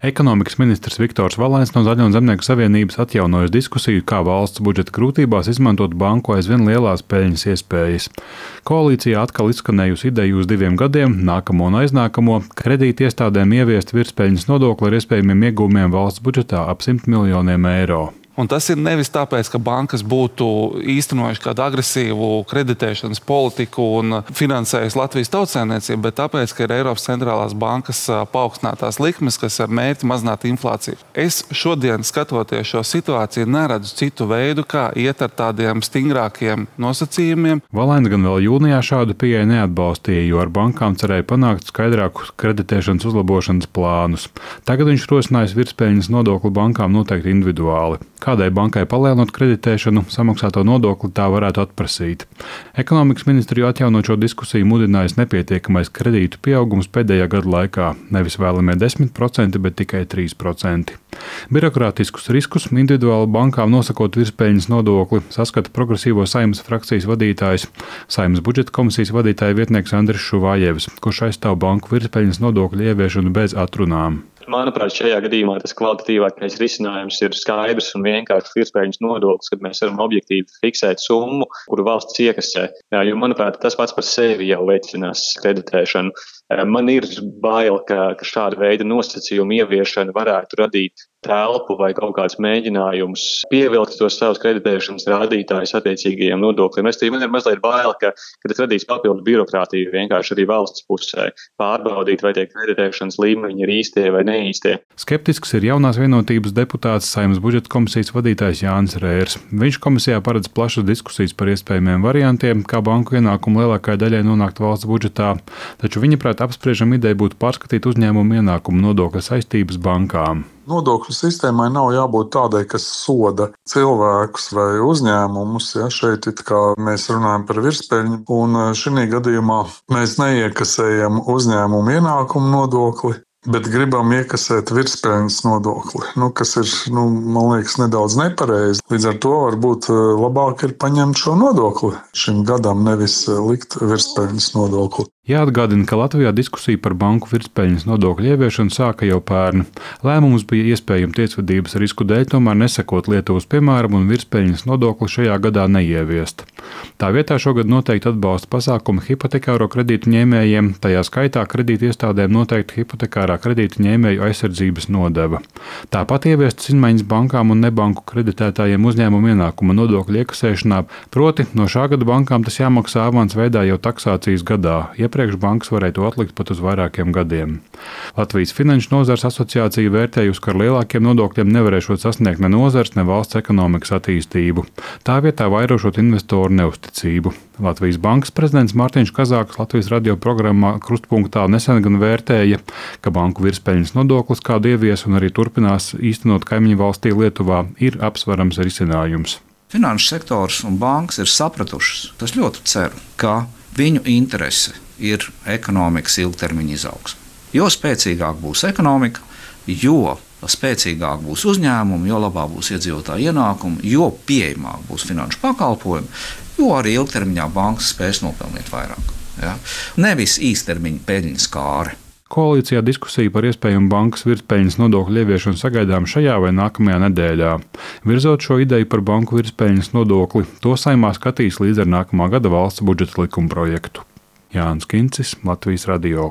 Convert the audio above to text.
Ekonomikas ministrs Viktors Valains no Zaļo un Zemnieku savienības atjaunojas diskusiju, kā valsts budžeta grūtībās izmantot banku aizvien lielās peļņas iespējas. Koalīcijā atkal izskanējusi ideja uz 2 gadiem, nākamo un aiznākamo, kredīti iestādēm ieviest virspeļņas nodokli ar iespējamiem ieguvumiem valsts budžetā ap 100 miljoniem eiro. Un tas ir nevis tāpēc, ka bankas būtu īstenojuši kādu agresīvu kreditēšanas politiku un finansējusi Latvijas tautsēmniecību, bet tāpēc, ka ir Eiropas centrālās bankas paaugstinātās likmes, kas ar mērķi mazināt inflāciju. Es šodien, skatoties šo situāciju, neredzu citu veidu, kā iet ar tādiem stingrākiem nosacījumiem. Valains gan vēl jūnijā šādu pieeju neatbalstīja, jo ar bankām cerēja panākt skaidrākus kreditēšanas uzlabošanas plānus. Tagad viņš rosinājis virspeļņas nodokli bankām noteikti individuāli. Kādai bankai palielinot kreditēšanu, samaksāto nodokli tā varētu atprasīt. Ekonomikas ministriju atjaunot šo diskusiju mudinājis nepietiekamais kredītu pieaugums pēdējā gada laikā, nevis vēlamie 10%, bet tikai 3%. Birokrātiskus riskus individuāli bankām nosakot virspeļņas nodokli saskata progresīvo Saeimas frakcijas vadītājs, Saeimas budžeta komisijas vadītāja vietnieks Andris Šuvājevs, kurš aizstāv banku virspeļņas nodokļu ieviešanu bez atrunām. Manuprāt, šajā gadījumā tas kvalitatīvākais risinājums ir skaidrs un vienkāršs virspeļņas nodoklis, kad mēs varam objektīvi fiksēt summu, kuru valsts iekasē. Jo, manuprāt, tas pats par sevi jau veicinās kreditēšanu. Man ir bail, ka šāda veida nosacījumu ieviešana varētu radīt telpu vai kaut kāds mēģinājums pievilkt tos savus kreditēšanas rādītājus attiecīgajiem nodokļiem. Man ir mazliet bail, ka tas radīs papildu birokrātiju vienkārši arī valsts pusē pārbaudīt, vai tie kreditēšanas līmeņi ir īstie vai neīstie. Skeptisks ir jaunās vienotības deputāts Saeimas budžeta komisijas vadītājs Jānis Rērs. Viņš komisijā paredz plašas diskusijas par iespējamiem variantiem, kā banku ienākumu lielākajai daļai nonākt valsts budžetā, taču viņa prāt apspriežama ideja būtu pārskatīt uzņēmumu ienākumu nodokļa saistības bankām. Nodokļu sistēmai nav jābūt tādai, kas soda cilvēkus vai uzņēmumus. Ja, šeit mēs runājam par virspeļņu, un šī gadījumā mēs neiekasējam uzņēmumu ienākumu nodokli, bet gribam iekasēt virspeļņas nodokli, kas ir, man liekas, nedaudz nepareizi. Līdz ar to varbūt labāk ir paņemt šo nodokli šim gadam, nevis likt virspeļņas nodokli. Jāatgādina, ka Latvijā diskusija par banku virspeļņas nodokļu ieviešanu sāka jau pērn. Lēmums bija iespējams tiesvedības risku dēļ, tomēr nesekot Lietuvas piemēram un virspeļņas nodokli šajā gadā neieviest. Tā vietā šogad noteikti atbalsta pasākumu hipotekāro kredītu ņēmējiem, tajā skaitā kredītu iestādēm noteikti hipotekārā kredītu ņēmēju aizsardzības nodeva. Tāpat ieviestas izmaiņas bankām un nebanku kreditētājiem uzņēmumu ienākuma nodokļu iekasēšanā, proti no šā gada bankām tas jāmaksā avans veidā jau taksācijas gadā. Iepriekš bankas varēja to atlikt pat uz vairākiem gadiem. Latvijas Finanšu nozares asociācija vērtējusi, ka ar lielākiem nodokļiem nevarēšot sasniegt ne nozars, ne valsts ekonomikas attīstību. Tā vietā vairošot investoru neusticību. Latvijas bankas prezidents Mārtiņš Kazāks Latvijas radio programmā Krustpunktā nesen gan vērtēja, ka banku virspeļņas nodoklis, kādu ievies un arī turpinās īstenot kaimiņu valstī Lietuvā, ir apsverams risinājums. Finanšu sektors un bankas ir sapratušas, tas ļoti ceru, ka viņu interese ir ekonomikas ilgtermiņa izaugsme. Jo spēcīgāk būs ekonomika, jo spēcīgāk būs uzņēmumi, jo labāk būs iedzīvotāju ienākumi, jo pieejamāk būs finanšu pakalpojumi, jo arī ilgtermiņā bankas spēs nopelnīt vairāk. Ja? Nevis īstermiņa peļņas kāre. Koalīcijā diskusija par iespējamu bankas virspeļņas nodokļu ieviešanu sagaidām šajā vai nākamajā nedēļā. Virzot šo ideju par banku virspeļņas nodokli, to Saeimā skatīs līdz ar nākamā gada valsts budžeta likuma projektu. Jānis Kincis, Latvijas radio.